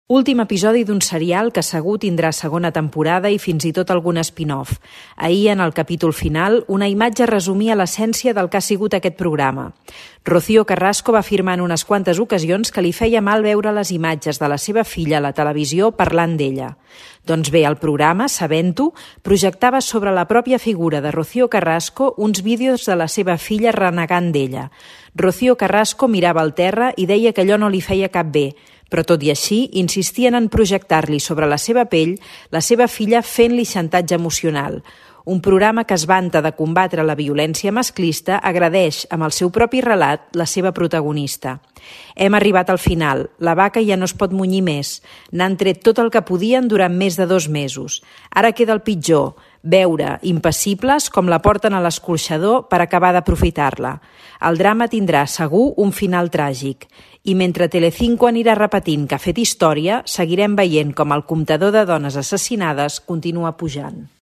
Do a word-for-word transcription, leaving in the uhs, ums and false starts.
Últim episodi d'un serial que segur tindrà segona temporada i fins i tot algun spin-off. Ahir, en el capítol final, una imatge resumia l'essència del que ha sigut aquest programa. Rocío Carrasco va afirmar en unes quantes ocasions que li feia mal veure les imatges de la seva filla a la televisió parlant d'ella. Doncs bé, el programa, sabent-ho, projectava sobre la pròpia figura de Rocío Carrasco uns vídeos de la seva filla renegant d'ella. Rocío Carrasco mirava al terra i deia que allò no li feia cap bé, però tot i així insistien en projectar-li sobre la seva pell la seva filla fent-li xantatge emocional. Un programa que es vanta de combatre la violència masclista agredeix amb el seu propi relat la seva protagonista. Hem arribat al final, la vaca ja no es pot munyir més, n'han tret tot el que podien durant més de dos mesos. Ara queda el pitjor, veure, impassibles, com la porten a l'escorxador per acabar d'aprofitar-la. El drama tindrà, segur, un final tràgic. I mentre Telecinco anirà repetint que ha fet història, seguirem veient com el comptador de dones assassinades continua pujant.